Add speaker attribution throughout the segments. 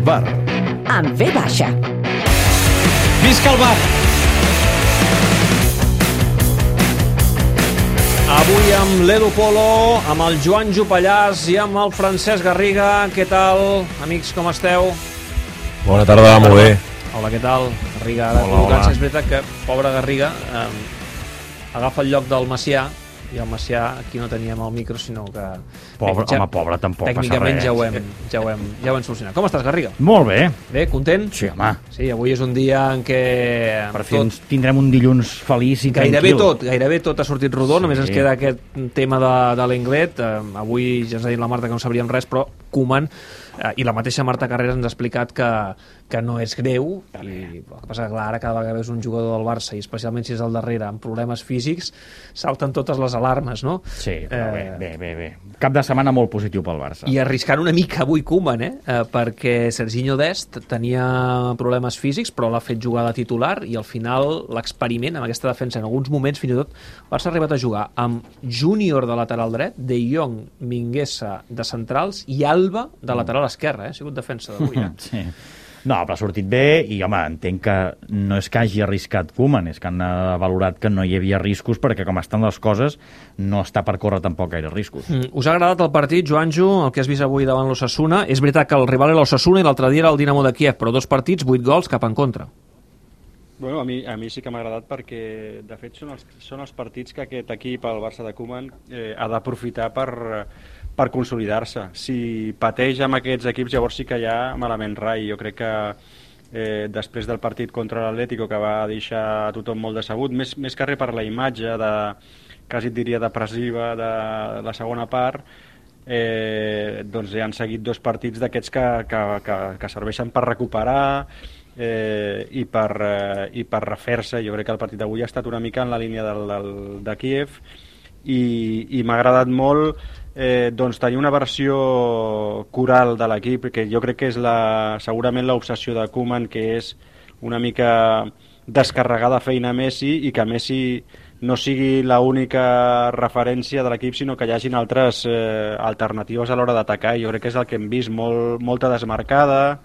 Speaker 1: bar.
Speaker 2: Amb V baixa.
Speaker 3: Visca el bar! Avui amb l'Edu Polo, amb el Joan Jopallàs i amb el Francesc Garriga. Què tal, amics, com esteu?
Speaker 4: Bona tarda, molt bé.
Speaker 3: Hola, què tal? Garriga, ara
Speaker 4: Hola.
Speaker 3: és veritat que, pobre Garriga, agafa el lloc del Macià, i el Macià aquí no teníem el micro, sinó que...
Speaker 4: Pobre, pobre, tampoc passa
Speaker 3: tècnicament
Speaker 4: res.
Speaker 3: ja ho hem solucionat. Com estàs, Garriga?
Speaker 1: Molt bé.
Speaker 3: Bé, content?
Speaker 1: Sí, home.
Speaker 3: Sí, avui és un dia en què...
Speaker 1: Per fi tindrem un dilluns feliç i tranquil.
Speaker 3: Gairebé tot ha sortit rodó,
Speaker 1: Sí.
Speaker 3: només ens queda aquest tema de l'Inglet. Avui ja ens ha dit la Marta que no sabríem res, però Koeman i la mateixa Marta Carreras ens ha explicat que no és greu, i el que passa que clar, ara cada vegada és un jugador del Barça, i especialment si és al darrere, amb problemes físics, salten totes les alarmes, no?
Speaker 1: Sí, però bé. Cap de setmana molt positiu pel Barça.
Speaker 3: I arriscant una mica avui Koeman, perquè Serginho Dest tenia problemes físics, però l'ha fet jugar de titular, i al final l'experiment amb aquesta defensa, en alguns moments fins i tot el Barça ha arribat a jugar amb Júnior de lateral dret, De Jong, Mingueza de centrals i Alba de lateral esquerre, ha sigut defensa d'avui.
Speaker 1: Sí. No, però ha sortit bé i, home, entenc que no és que hagi arriscat Koeman, és que han valorat que no hi havia riscos perquè, com estan les coses, no està per córrer tampoc gaire riscos.
Speaker 3: Us ha agradat el partit, Joanjo, el que has vist avui davant l'Osasuna? És veritat que el rival era l'Osasuna i l'altre dia era el Dinamo de Kiev, però 2 partits, 8 gols cap en contra.
Speaker 5: Bueno, a mi sí que m'ha agradat perquè, de fet, són els partits que aquest equip, el Barça de Koeman, ha d'aprofitar per consolidar-se. Si pateix amb aquests equips, llavors sí que hi ha malament rai. Jo crec que després del partit contra l'Atlético, que va deixar a tothom molt decebut, més que res per la imatge, quasi et diria depressiva, de la segona part, doncs han seguit 2 partits d'aquests que serveixen per recuperar i per refer-se. Jo crec que el partit d'avui ha estat una mica en la línia de Kiev i m'ha agradat molt doncs tenir una versió coral de l'equip, que jo crec que és segurament l'obsessió de Koeman, que és una mica descarregar de feina a Messi i que Messi no sigui l'única referència de l'equip, sinó que hi hagin altres alternatives a l'hora d'atacar. Jo crec que és el que hem vist, molta desmarcada,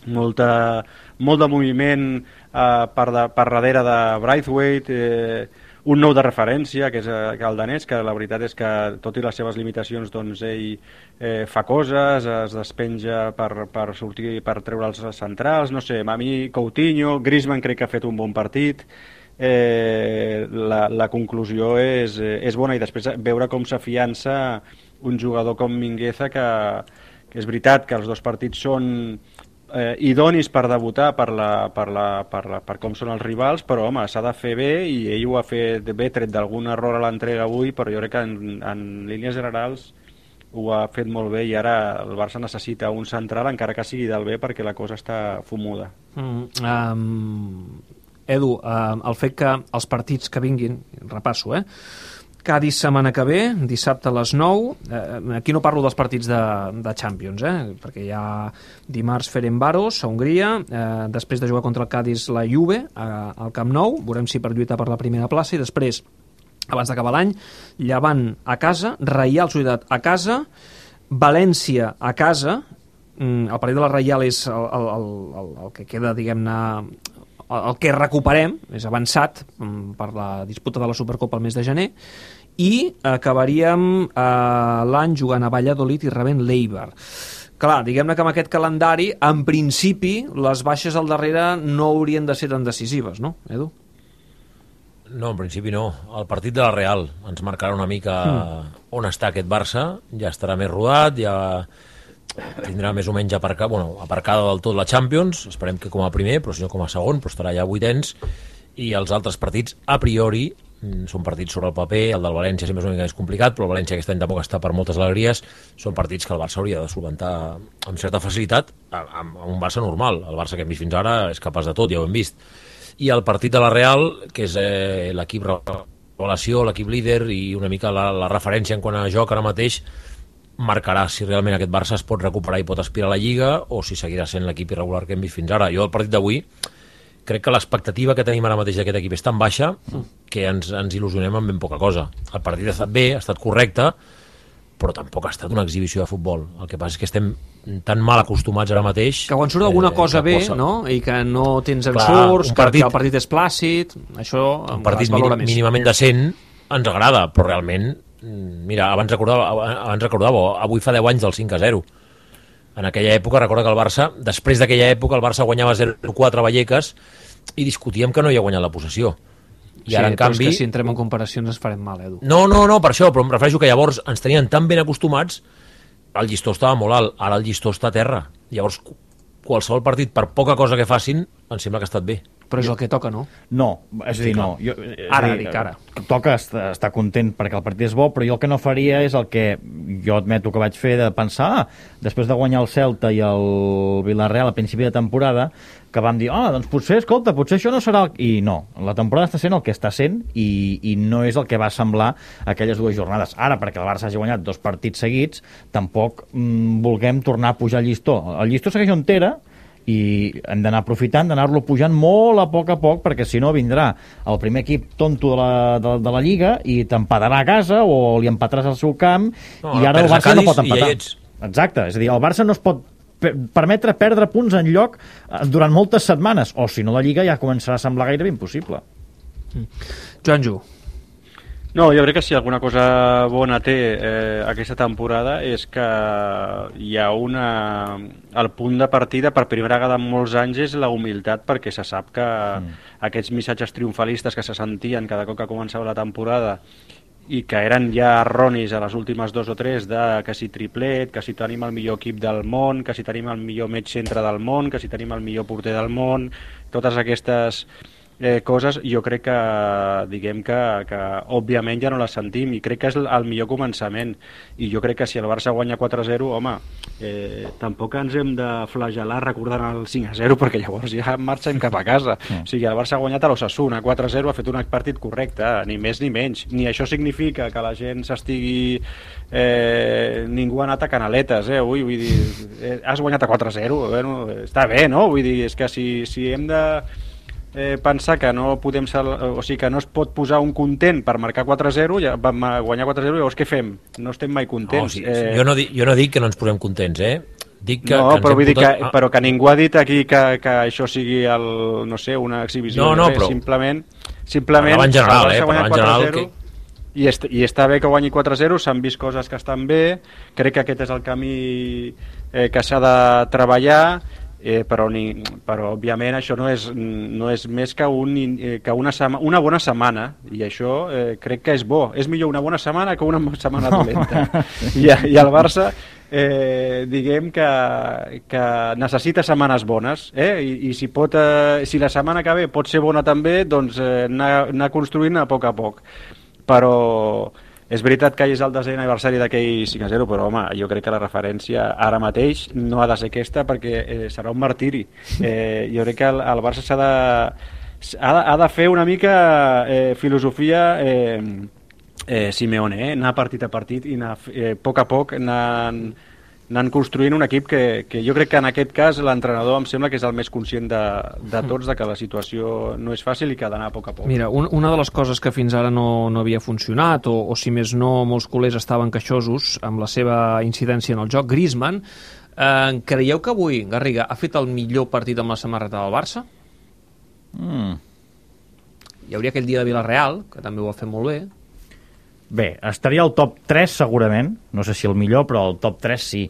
Speaker 5: molt de moviment per darrere de Braithwaite, un nou de referència, que és el danès, que la veritat és que, tot i les seves limitacions, doncs ell fa coses, es despenja per sortir, per treure els centrals, no sé, a mi Coutinho, Griezmann crec que ha fet un bon partit, la conclusió és bona, i després veure com s'afiança un jugador com Mingueza, que és veritat que els 2 partits són idonis per debutar per com són els rivals, però home, s'ha de fer bé, i ell ho ha fet bé, tret d'algun error a l'entrega avui, però jo crec que en línies generals ho ha fet molt bé, i ara el Barça necessita un central, encara que sigui del B, perquè la cosa està fumuda.
Speaker 3: Edu, el fet que els partits que vinguin, repasso, Cádiz setmana que ve, dissabte a les 9. Aquí no parlo dels partits de Champions, perquè hi ha dimarts Ferencváros a Hongria, després de jugar contra el Cádiz la Juve al Camp Nou, veurem si per lluitar per la primera plaça, i després, abans d'acabar l'any, Llevant a casa, Reial Societat a casa, València a casa. El partit de la Reial és el que queda, diguem-ne, el que recuperem, és avançat per la disputa de la Supercopa al mes de gener, i acabaríem l'any jugant a Valladolid i rebent l'Eibar. Clar, diguem-ne que amb aquest calendari, en principi, les baixes al darrere no haurien de ser tan decisives, no, Edu?
Speaker 4: No, en principi no. El partit de la Real ens marcarà una mica on està aquest Barça, ja estarà més rodat, ja tindrà més o menys aparcada del tot la Champions, esperem que com a primer, però si no com a segon, però estarà ja a 8ens, i els altres partits, a priori, són partits sobre el paper. El del València sempre és una mica més complicat, però el València aquest any tampoc està per moltes alegries. Són partits que el Barça hauria de solventar amb certa facilitat, amb un Barça normal. El Barça que hem vist fins ara és capaç de tot, ja ho hem vist. I el partit de la Real, que és l'equip revelació, l'equip líder i una mica la referència en quant a joc ara mateix, marcarà si realment aquest Barça es pot recuperar i pot aspirar a la Lliga, o si seguirà sent l'equip irregular que hem vist fins ara. Jo, el partit d'avui, crec que l'expectativa que tenim ara mateix d'aquest equip és tan baixa que ens il·lusionem amb ben poca cosa. El partit ha estat bé, ha estat correcte, però tampoc ha estat una exhibició de futbol. El que passa és que estem tan mal acostumats ara mateix...
Speaker 3: Que quan surt alguna cosa bé, no? I que no tens ensurts, que el partit és plàcid, això
Speaker 4: un partit mínimament decent ens agrada, però realment, mira, abans recordava, avui fa 10 anys del 5-0. En aquella època, recorda que el Barça, després d'aquella època, el Barça guanyava 0-4 a Vallecas i discutíem que no hi ha guanyat la possessió. I ara, en canvi...
Speaker 3: és que si entrem en comparacions ens farem mal, Edu.
Speaker 4: No, per això, però em refereixo que llavors ens tenien tan ben acostumats, el llistó estava molt alt, ara el llistó està a terra. Llavors, qualsevol partit, per poca cosa que facin, em sembla que ha estat bé.
Speaker 3: Però és el que toca, no?
Speaker 1: No, és a dir, no.
Speaker 3: Ara.
Speaker 1: Toca estar content perquè el partit és bo, però jo el que no faria és el que jo admeto que vaig fer de pensar, després de guanyar el Celta i el Villarreal a principi de temporada, que vam dir, doncs potser això no serà... I no, la temporada està sent el que està sent i no és el que va semblar aquelles dues jornades. Ara, perquè el Barça hagi guanyat 2 partits seguits, tampoc vulguem tornar a pujar el llistó. El llistó segueix on era, i hem d'anar aprofitant d'anar-lo pujant molt a poc, perquè si no vindrà el primer equip tonto de la Lliga i t'empatarà a casa o li empataràs al seu camp i ara el Barça no pot empatar. Exacte, és a dir, el Barça no es pot permetre perdre punts en lloc durant moltes setmanes, o si no la Lliga ja començarà a semblar gairebé impossible.
Speaker 3: Joanjo.
Speaker 5: No, jo crec que si alguna cosa bona té aquesta temporada és que hi ha el punt de partida per primera vegada en molts anys és la humilitat, perquè se sap que aquests missatges triomfalistes que se sentien cada cop que començava la temporada i que eren ja erronis a les últimes 2 o 3 de que si triplet, que si tenim el millor equip del món, que si tenim el millor mig centre del món, que si tenim el millor porter del món, totes aquestes coses, jo crec que diguem que òbviament ja no les sentim i crec que és el millor començament i jo crec que si el Barça guanya 4-0 home, tampoc ens hem de flagelar recordant el 5-0 perquè llavors ja marxem cap a casa. O sigui, el Barça ha guanyat a l'Osasuna 4-0, ha fet un partit correcte, ni més ni menys, ni això significa que la gent s'estigui ningú ha anat a canaletes, vull dir, has guanyat a 4-0, bueno, està bé, no? Vull dir, és que si hem de pensar que no podem que no es pot posar un content per marcar 4-0, ja vam guanyar 4-0, llavors què fem? No estem mai contents.
Speaker 4: Jo no dic que no ens posem contents, Dic que
Speaker 5: però vull dir però que ningú ha dit aquí que això sigui una exhibició.
Speaker 4: No, però...
Speaker 5: Simplement
Speaker 4: en general,
Speaker 5: i està bé que guanyi 4-0, s'han vist coses que estan bé, crec que aquest és el camí que s'ha de treballar, però òbviament això no és més que una bona setmana i això crec que és bo, és millor una bona setmana que una setmana dolenta i el Barça diguem que necessita setmanes bones i si la setmana que ve pot ser bona també, doncs anar construint a poc, però és veritat que és el 10è aniversari d'aquell 5-0, però home, jo crec que la referència ara mateix no ha de ser aquesta perquè serà un martiri. Jo crec que el Barça ha de fer una mica filosofia Simeone, anar partit a partit i anar a poc anant construint un equip que jo crec que en aquest cas l'entrenador em sembla que és el més conscient de tots de que la situació no és fàcil i que ha d'anar a poc.
Speaker 3: Mira, una de les coses que fins ara no havia funcionat o si més no molts culers estaven queixosos amb la seva incidència en el joc, Griezmann, creieu que avui Garriga ha fet el millor partit amb la samarreta del Barça? Hi hauria aquell dia de Villarreal, que també ho va fer molt bé.
Speaker 1: Bé, estaria al top 3 segurament, no sé si el millor, però el top 3 sí.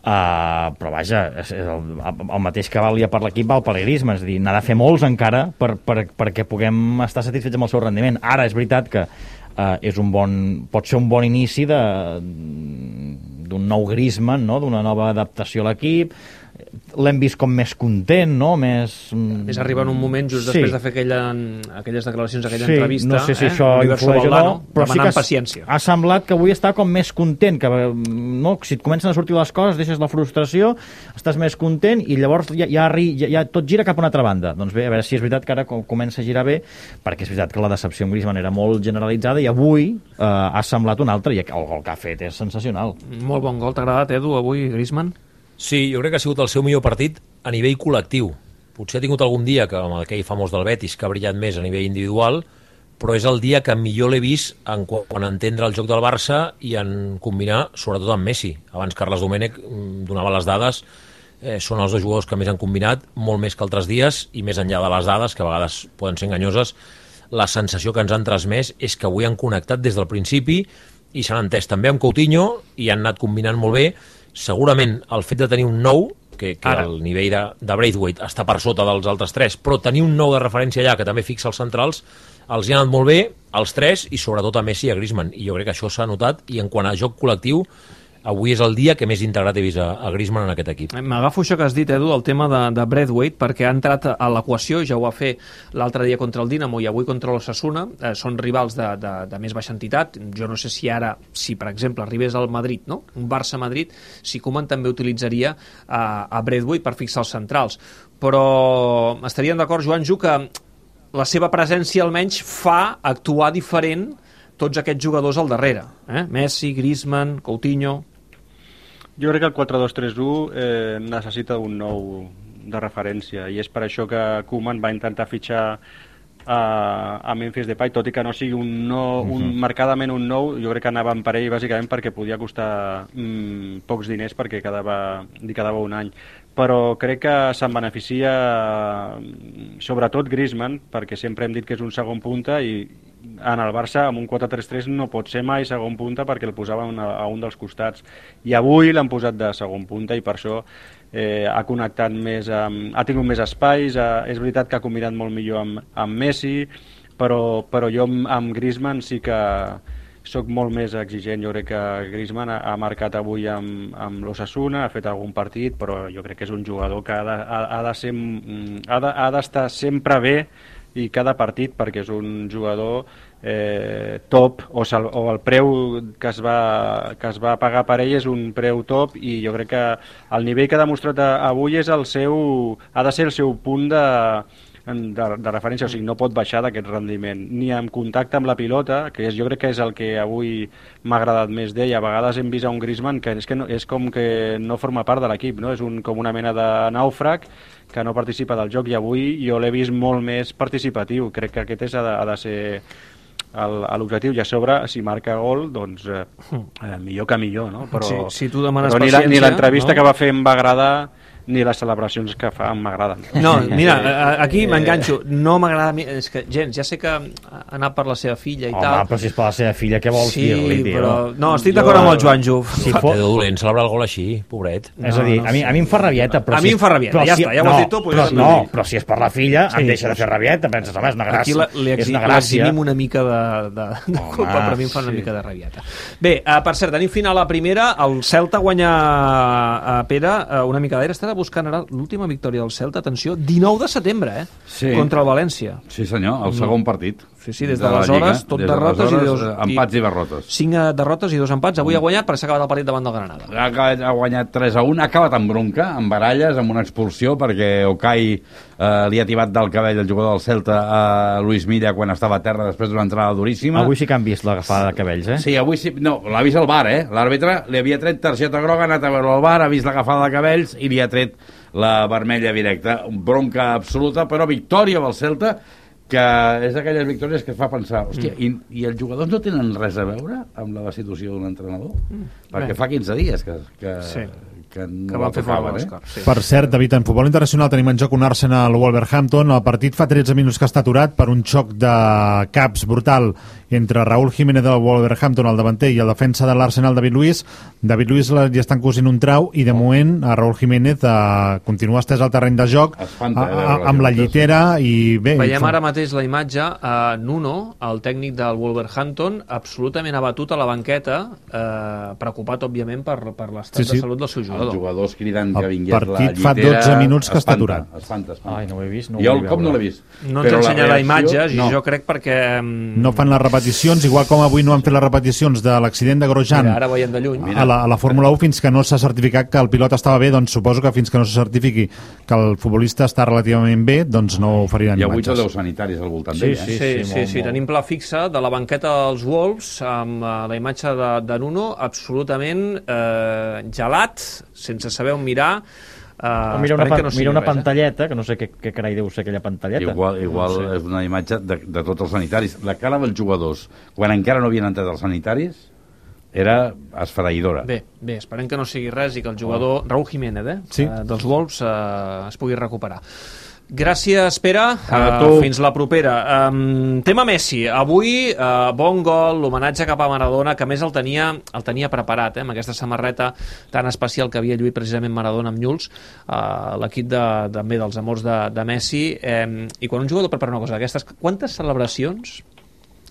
Speaker 1: Però vaja, el mateix que valia per l'equip val per Griezmann, és a dir, n'ha de fer molts encara perquè puguem estar satisfets amb el seu rendiment. Ara és veritat que pot ser un bon inici d'un nou Griezmann, no? D'una nova adaptació a l'equip. L'hem vist com més content, no? Més
Speaker 3: arriba en un moment just després de fer aquelles declaracions, aquella entrevista.
Speaker 1: No sé si això influeix o no, però sí que ha semblat que avui està com més content, que si et comencen a sortir les coses, deixes la frustració, estàs més content i llavors ja tot gira cap a una altra banda. Doncs bé, a veure si és veritat que ara comença a girar bé, perquè és veritat que la decepció amb Griezmann era molt generalitzada i avui ha semblat un altre, i el gol que ha fet és sensacional.
Speaker 3: Molt bon gol, t'ha agradat, Edu, avui, Griezmann?
Speaker 4: Sí, jo crec que ha sigut el seu millor partit a nivell col·lectiu. Potser ha tingut algun dia, que amb aquell famós del Betis, que ha brillat més a nivell individual, però és el dia que millor l'he vist en entendre el joc del Barça i en combinar, sobretot amb Messi. Abans Carles Domènech donava les dades, són els dos jugadors que més han combinat, molt més que altres dies, i més enllà de les dades, que a vegades poden ser enganyoses, la sensació que ens han transmès és que avui han connectat des del principi i s'han entès també amb Coutinho i han anat combinant molt bé. Segurament el fet de tenir un nou, que el nivell de Braithwaite està per sota dels altres tres, però tenir un nou de referència allà que també fixa els centrals, els hi ha anat molt bé, els tres, i sobretot a Messi i a Griezmann, i jo crec que això s'ha notat, i en quant a joc col·lectiu, avui és el dia que més integrat he vist a Griezmann en aquest equip.
Speaker 3: M'agafo això que has dit, Edu, el tema de Braithwaite, perquè ha entrat a l'equació, ja ho va fer l'altre dia contra el Dinamo i avui contra l'Osasuna, són rivals de més baixa entitat. Jo no sé si per exemple arribés al Madrid, no? Un Barça-Madrid, si Koeman també utilitzaria a Braithwaite per fixar els centrals. Però estaríem d'acord, Joanjo, que la seva presència almenys fa actuar diferent tots aquests jugadors al darrere. Messi, Griezmann, Coutinho...
Speaker 5: Jo crec que el 4-2-3-1 necessita un nou de referència, i és per això que Koeman va intentar fitxar a Memphis Depay, tot i que no sigui marcadament un nou. Jo crec que anaven per ell bàsicament perquè podia costar pocs diners, perquè li quedava un any. Però crec que se'n beneficia sobretot Griezmann, perquè sempre hem dit que és un segon punta, i en el Barça amb un 4-3-3 no pot ser mai segon punta perquè el posaven a un dels costats, i avui l'han posat de segon punta i per això ha connectat més, ha tingut més espais. És veritat que ha combinat molt millor amb Messi, però jo amb Griezmann sí que soc molt més exigent. Jo crec que Griezmann ha marcat avui amb l'Osasuna, ha fet algun partit, però jo crec que és un jugador que ha d'estar sempre bé i cada partit, perquè és un jugador top, o el preu que es va pagar per ell és un preu top, i jo crec que el nivell que ha demostrat avui ha de ser el seu punt de referència, o sigui, no pot baixar d'aquest rendiment, ni en contacte amb la pilota, que jo crec que és el que avui m'ha agradat més d'ell. A vegades hem vist a un Griezmann que és com que no forma part de l'equip, no? És com una mena de nàufrag que no participa del joc, i avui jo l'he vist molt més participatiu. Crec que aquest ha de ser l'objectiu, i a sobre, si marca gol, doncs millor que millor, no? Però,
Speaker 3: si tu demanes
Speaker 5: però
Speaker 3: paciència...
Speaker 5: ni l'entrevista que va fer em va agradar, ni les celebracions que fa m'agraden.
Speaker 3: No, mira, aquí m'enganxo. No m'agrada... És que, gens, ja sé que ha anat per la seva filla i tal.
Speaker 1: Home, però si és per la seva filla, què vols dir-li, tio?
Speaker 3: Però... No, estic d'acord amb el Joanjo.
Speaker 4: Té dolent celebrar el gol així, pobret.
Speaker 1: És a dir, a mi em fa rabieta, però...
Speaker 3: A mi em fa rabieta, ja està, ja ho has dit tu.
Speaker 1: No, però si és per la filla, em deixa de fer rabieta. Penses, home, és una gràcia.
Speaker 3: Aquí l'eximim una mica de culpa, però a mi em fa una mica de rabieta. Bé, per cert, tenim final a primera. El Celta guanya a Pere una mica d'aire. Estava buscant ara l'última victòria del Celta, atenció, 19 de setembre,
Speaker 2: Sí.
Speaker 3: Contra el València.
Speaker 2: Sí, senyor, el segon partit.
Speaker 3: Sí, des d'aleshores, tot derrotes i
Speaker 2: empats i derrotes.
Speaker 3: 5 derrotes i 2 empats. Avui ha guanyat, però s'ha acabat el partit davant del Granada.
Speaker 2: Ha guanyat 3-1, ha acabat amb bronca, amb baralles, amb una expulsió, perquè Okay li ha tibat del cabell el jugador del Celta a Luis Milla quan estava a terra després d'una entrada duríssima.
Speaker 1: Avui sí que han vist l'agafada de cabells,
Speaker 2: Sí, avui sí. No, l'ha vist el VAR, L'àrbitre li havia tret targeta groga, ha anat a veure el VAR, ha vist l'agafada de cabells i li ha tret la vermella directa. Bronca absoluta, però victòria del Celta, que és d'aquelles victòries que et fa pensar, hòstia, i els jugadors no tenen res a veure amb la destitució d'un entrenador? Perquè fa 15 dies que no
Speaker 3: van fer fora
Speaker 6: sí. Per cert, David, en futbol internacional tenim en joc un Arsenal-Wolverhampton. El partit fa 13 minuts que està aturat per un xoc de caps brutal entre Raúl Jiménez del Wolverhampton, el davanter, i el defensa de l'Arsenal, David Luiz. David Luiz li estan cosint un trau i de moment a Raúl Jiménez continua estès al terreny de joc amb la llitera i bé...
Speaker 3: Veiem ara mateix la imatge a Nuno, el tècnic del Wolverhampton, absolutament abatut a la banqueta, preocupat, òbviament, per l'estat de salut del seu jugador.
Speaker 2: Els jugadors cridant que vingués la llitera.
Speaker 6: El partit fa 12 minuts que està aturat.
Speaker 2: Espanta.
Speaker 1: Ai, no ho he vist.
Speaker 2: Jo el cop no l'he vist.
Speaker 3: No ens ensenyarà imatges, i jo crec perquè...
Speaker 6: No fan les repeticions, igual com avui no han fet les repeticions de l'accident de Grosjean.
Speaker 3: Mira, ara veiem de lluny.
Speaker 6: A la Fórmula 1, fins que no s'ha certificat que el pilot estava bé, doncs suposo que fins que no se certifiqui que el futbolista està relativament bé, doncs no oferiran imatges.
Speaker 2: I avui tot deu sanitaris al voltant d'ell.
Speaker 3: Sí, tenim pla fixa de la banqueta dels Wolves amb la imatge de Nuno absolutament gelat, sense saber on mirar,
Speaker 1: Mira una pantalleta, que no sé què carai deu ser aquella pantalleta.
Speaker 2: Igual no sé. És una imatge de tots els sanitaris. La cara dels jugadors, quan encara no havien entrat els sanitaris, era esfereïdora.
Speaker 3: Bé, esperem que no sigui res i que el jugador Raúl Jiménez dels Wolves es pugui recuperar. Gràcies, Pere. Fins la propera. Tema Messi. Avui, bon gol, l'homenatge cap a Maradona, que més el tenia preparat, amb aquesta samarreta tan especial que havia lluït precisament Maradona amb Newell's, l'equip també dels amors de Messi. I quan un jugador prepara una cosa d'aquestes, quantes celebracions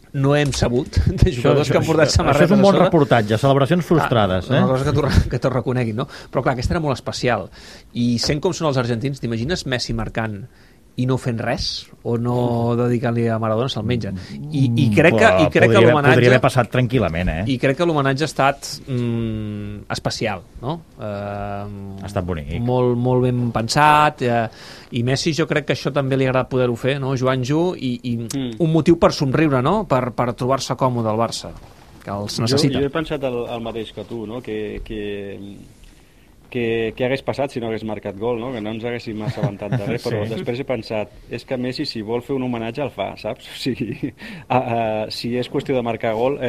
Speaker 3: no hem sabut de jugadors que han portat samarretes.
Speaker 1: Això és un bon reportatge, celebracions frustrades.
Speaker 3: Una cosa que t'ho reconeguin, no? Però clar, aquesta era molt especial. I sent com són els argentins, t'imagines Messi marcant i no fent res, o no dedicant-li a Maradona, se'l mengen. I crec que l'homenatge...
Speaker 1: Podria haver passat tranquil·lament,
Speaker 3: I crec que l'homenatge ha estat especial, no?
Speaker 1: Ha estat bonic.
Speaker 3: Molt ben pensat, i Messi jo crec que això també li ha agradat poder-ho fer, no, Joanjo? I un motiu per somriure, no? Per trobar-se còmode al Barça, que els necessita.
Speaker 5: Jo he pensat el mateix que tu, no? Què hagués passat si no hagués marcat gol, no? Que no ens haguéssim assabentat de res, però després he pensat, és que Messi, si vol fer un homenatge, el fa, saps? O sigui, si és qüestió de marcar gol,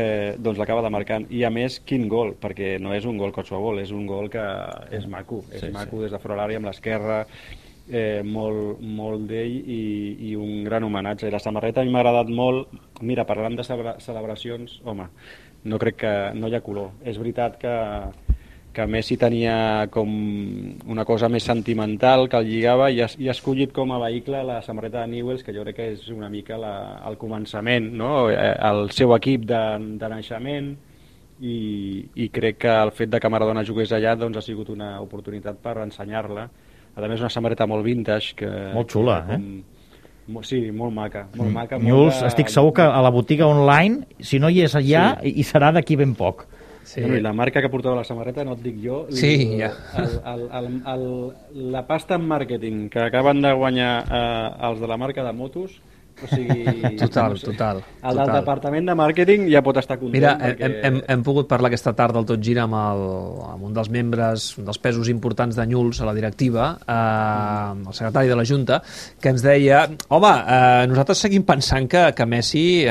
Speaker 5: doncs l'acaba de marcar. I a més, quin gol? Perquè no és un gol qualsevol, és un gol que és maco. És maco des de fora l'àrea amb l'esquerra, molt d'ell i un gran homenatge. I la samarreta a mi m'ha agradat molt. Mira, parlant de celebracions, home, no crec que no hi ha color. És veritat que Messi tenia com una cosa més sentimental que el lligava i ha escollit com a vehicle la samarreta de Newell's, que jo crec que és una mica el començament, no? El seu equip de naixement, i crec que el fet de que Maradona jugués allà doncs ha sigut una oportunitat per ensenyar-la. A més, una samarreta molt vintage.
Speaker 1: Molt xula,
Speaker 5: Sí, molt maca.
Speaker 1: Newell's, estic segur que a la botiga online, si no hi és allà, hi serà d'aquí ben poc.
Speaker 5: Sí. Bueno, i la marca que portava la samarreta, no et dic jo, la pasta en màrqueting que acaben de guanyar els de la marca de motos, o sigui...
Speaker 3: Total.
Speaker 5: El del departament de màrqueting ja pot estar content.
Speaker 3: Mira,
Speaker 5: perquè...
Speaker 3: hem pogut parlar aquesta tarda al Tot Gira amb un dels membres, un dels pesos importants de Newell's a la directiva, el secretari de la Junta, que ens deia, home, nosaltres seguim pensant que Messi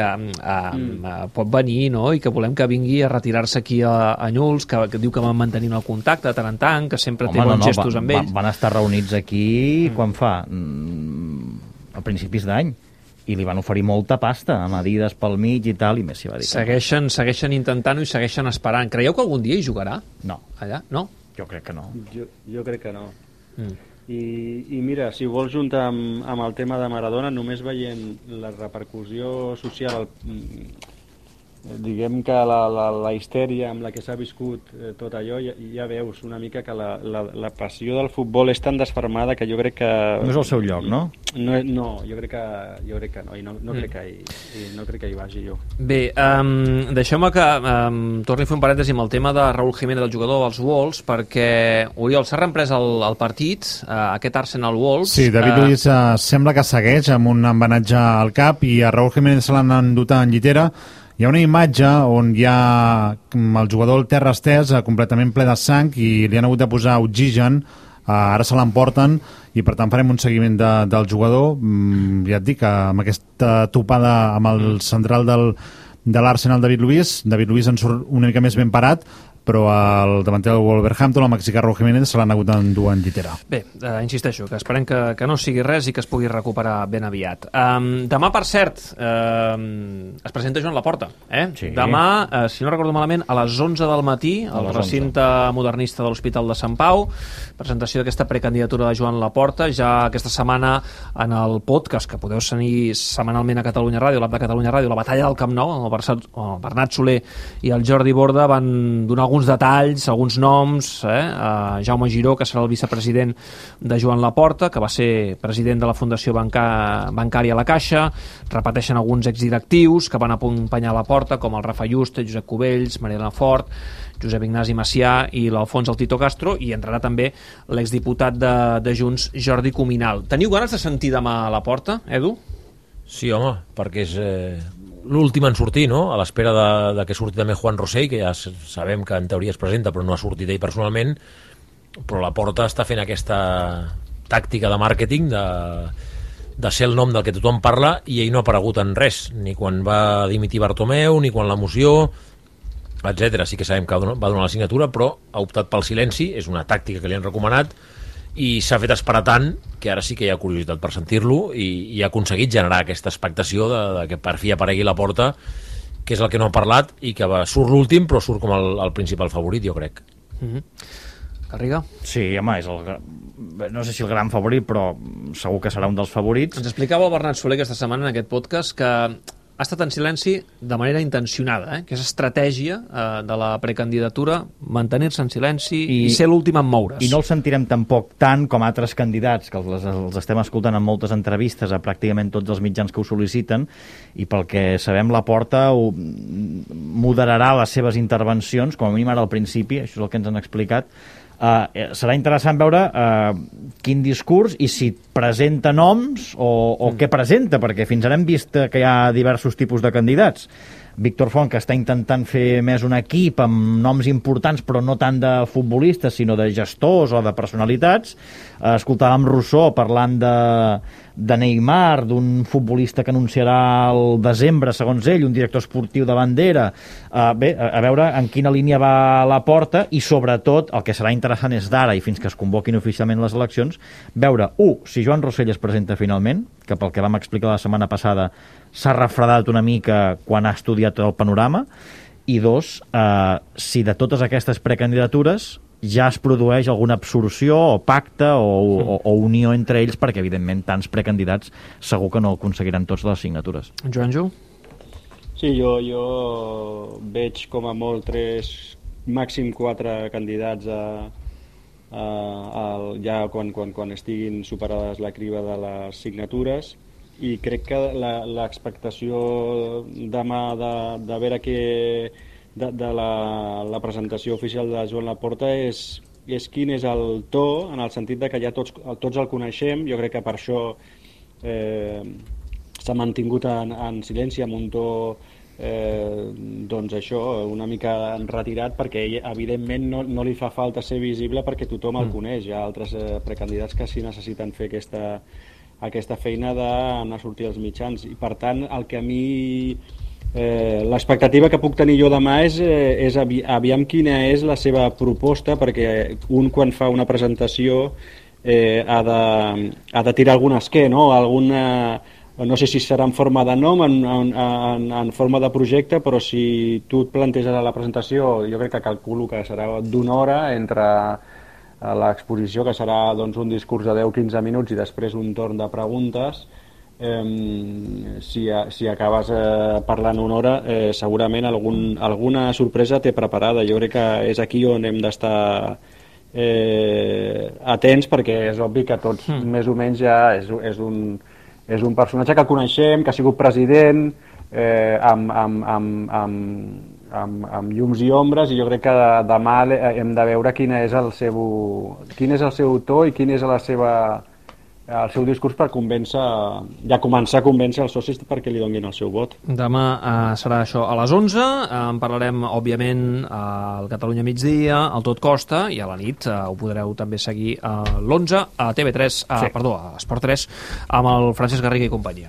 Speaker 3: pot venir, no?, i que volem que vingui a retirar-se aquí a Newell's, que diu que van mantenint el contacte de tant en tant, que sempre té bons gestos amb ells.
Speaker 1: Van estar reunits aquí quan fa? A principis d'any. I li van oferir molta pasta, amb Adidas pel mig i tal, i Messi va dir
Speaker 3: segueixen intentant-ho i segueixen esperant. Creieu que algun dia hi jugarà?
Speaker 1: No.
Speaker 3: Allà? No?
Speaker 1: Jo crec que no.
Speaker 5: Jo crec que no. I mira, si vols juntar amb el tema de Maradona, només veient la repercussió social, diguem que la histèria amb la que s'ha viscut tot allò, ja veus una mica que la passió del futbol és tan desfermada que jo crec que...
Speaker 1: No és el seu lloc, no?
Speaker 5: No, jo crec que no, i no crec que hi vagi jo.
Speaker 3: Bé, deixeu-me que torni a fer un parèntesi amb el tema de Raúl Jiménez, del jugador dels Wolves, perquè, Oriol, s'ha reemprès el partit, aquest Arsenal-Wolves...
Speaker 6: Sí, David Luiz sembla que segueix amb un embenatge al cap, i a Raúl Jiménez se l'han endut en llitera. Hi ha una imatge on hi ha el jugador al terra estès, completament ple de sang, i li han hagut de posar oxigen. Ara se l'emporten, i per tant farem un seguiment del jugador. Ja et dic, amb aquesta topada amb el central de l'Arsenal, David Luiz en surt una mica més ben parat, però el davanter del Wolverhampton, el mexicà Raúl Jiménez, se l'han hagut d'endur en llitera.
Speaker 3: Bé, insisteixo, que esperem que no sigui res i que es pugui recuperar ben aviat. Demà, per cert, es presenta Joan Laporta.
Speaker 1: Sí.
Speaker 3: Demà, si no recordo malament, a les 11 del matí, al recinte modernista de l'Hospital de Sant Pau, presentació d'aquesta precandidatura de Joan Laporta. Ja aquesta setmana, en el podcast que podeu seguir setmanalment a Catalunya Ràdio, l'app de Catalunya Ràdio, la batalla del Camp Nou, el Bernat Soler i el Jordi Borda van donar alguns detalls, alguns noms, Jaume Giró, que serà el vicepresident de Joan Laporta, que va ser president de la Fundació Bancària La Caixa. Repeteixen alguns exdirectius que van acompanyar Laporta, com el Rafa Juste, Josep Cubells, Mariana Fort, Josep Ignasi Macià i l'Alfons El Tito Castro, i entrarà també l'exdiputat de Junts, Jordi Cuminal. Teniu ganes de sentir demà a Laporta, Edu?
Speaker 4: Sí, home, perquè és l'últim en sortir, no? A l'espera de que surti també Juan Rosell, que ja sabem que en teoria es presenta però no ha sortit ell personalment. però la Porta està fent aquesta tàctica de màrqueting de ser el nom del que tothom parla, i ell no ha aparegut en res, ni quan va dimitir Bartomeu, ni quan la moció, etc. Sí que sabem que va donar la signatura, però ha optat pel silenci, és una tàctica que li han recomanat, i s'ha fet esperar tant que ara sí que hi ha curiositat per sentir-lo, i ha aconseguit generar aquesta expectació de que per fi aparegui la Porta, que és el que no ha parlat, i que surt l'últim, però surt com el principal favorit, jo crec.
Speaker 3: Garriga?
Speaker 1: Sí, home, no sé si el gran favorit, però segur que serà un dels favorits.
Speaker 3: Ens explicava el Bernat Soler aquesta setmana en aquest podcast que ha estat en silenci de manera intencionada, que és estratègia de la precandidatura, mantenir-se en silenci i ser l'últim en moure's.
Speaker 1: I no el sentirem tampoc tant com altres candidats, que els estem escoltant en moltes entrevistes a pràcticament tots els mitjans que ho sol·liciten, i pel que sabem Laporta moderarà les seves intervencions, com a mínim ara al principi, això és el que ens han explicat. Serà interessant veure quin discurs i si presenta noms o què presenta, perquè fins ara hem vist que hi ha diversos tipus de candidats. Víctor Font, que està intentant fer més un equip amb noms importants, però no tant de futbolistes, sinó de gestors o de personalitats. Escoltàvem Rousseau parlant de Neymar, d'un futbolista que anunciarà al desembre, segons ell, un director esportiu de bandera. Bé, a veure en quina línia va la Porta, i sobretot el que serà interessant és d'ara i fins que es convoquin oficialment les eleccions, veure, si Joan Rossell es presenta finalment, que pel que vam explicar la setmana passada s'ha refredat una mica quan ha estudiat el panorama, i dos, si de totes aquestes precandidatures ja es produeix alguna absorció o pacte o unió entre ells, perquè evidentment tants precandidats segur que no aconseguiran tots les signatures.
Speaker 3: Joanjo?
Speaker 5: Sí, jo veig com a molt 3, màxim 4 candidats ja quan estiguin superades la criba de les signatures, i crec que l'expectació demà de veure de la presentació oficial de Joan Laporta és quin és el to, en el sentit de que ja tots el coneixem. Jo crec que per això s'ha mantingut en silenci, amb un to doncs això, una mica retirat, perquè ell evidentment no li fa falta ser visible perquè tothom el coneix. Hi ha altres precandidats que sí necessiten fer aquesta feina d'anar a sortir als mitjans, i per tant el que a mi l'expectativa que puc tenir jo demà és aviam quina és la seva proposta, perquè un quan fa una presentació ha de tirar algun esquer, no? No sé si serà en forma de nom, en forma de projecte, però si tu et planteges a la presentació, jo crec que calculo que serà d'1 hora entre l'exposició, que serà doncs, un discurs de 10-15 minuts i després un torn de preguntes. Si acabes parlant 1 hora, segurament alguna sorpresa té preparada. Jo crec que és aquí on hem d'estar atents, perquè és obvi que tots més o menys ja és un personatge que coneixem, que ha sigut president, amb llums i ombres, i jo crec que demà hem de veure quin és el seu to i quin és el seu discurs per començar a convèncer els socis perquè li donin el seu vot.
Speaker 3: Demà serà això a les 11, en parlarem òbviament al Catalunya Migdia, al Tot Costa, i a la nit ho podreu també seguir a l'11 a TV3, a Esport 3, amb el Francesc Garriga i companyia.